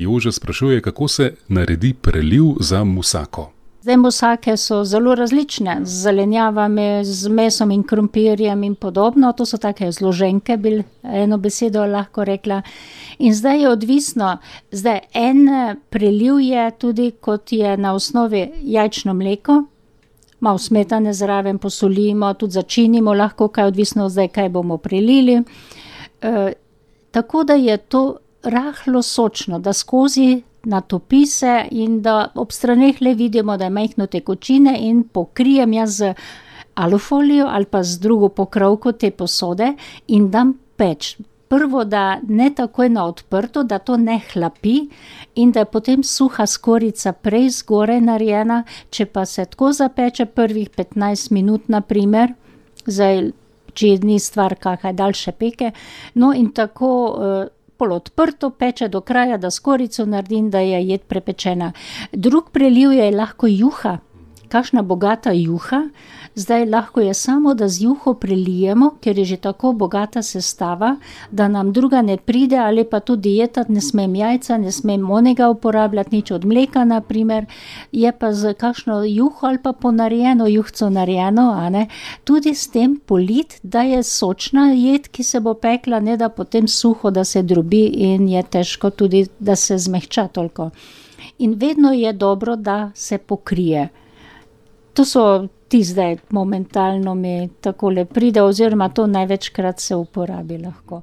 Jože sprašuje, kako se naredi preliv za musako. Zdaj musake so zelo različne, z zelenjavami, z mesom in krompirjem in podobno. To so take zloženke, bi eno besedo lahko rekla. In zdaj je odvisno, en preliv je tudi, kot je na osnovi jajčno mleko, malo smetane zraven posolimo, tudi začinimo lahko, kaj odvisno zdaj, kaj bomo prelili. Tako da je to rahlo sočno, da skozi natopi se in da ob straneh le vidimo, da je majhno tekočine in pokrijem jaz z alufolijo ali pa z drugo pokrovko te posode in dam peč. Prvo, da ne takoj na odprto, da to ne hlapi in da je potem suha skorjica prej zgoraj narejena, če pa se tako zapeče prvih 15 minut na primer, zdaj, če ni stvar kakaj daljše peke, no in tako pol odprto peče do kraja, da skorjico naredim, da je jed prepečena. Drug preliv je lahko juha, kakšna bogata juha, zdaj lahko je samo, da z juho prelijemo, ker je že tako bogata sestava, da nam druga ne pride ali pa tudi dieta, ne smem jajca, ne smem onega uporabljati, nič od mleka na primer, je pa z kakšno juho ali pa ponarejeno juhco narejeno, a ne, tudi s tem polit, da je sočna jed, ki se bo pekla, ne da potem suho, da se drobi in je težko tudi, da se zmehča toliko. In vedno je dobro, da se pokrije. To so ti zdaj momentalno mi takole pride, oziroma to največkrat se uporabi lahko.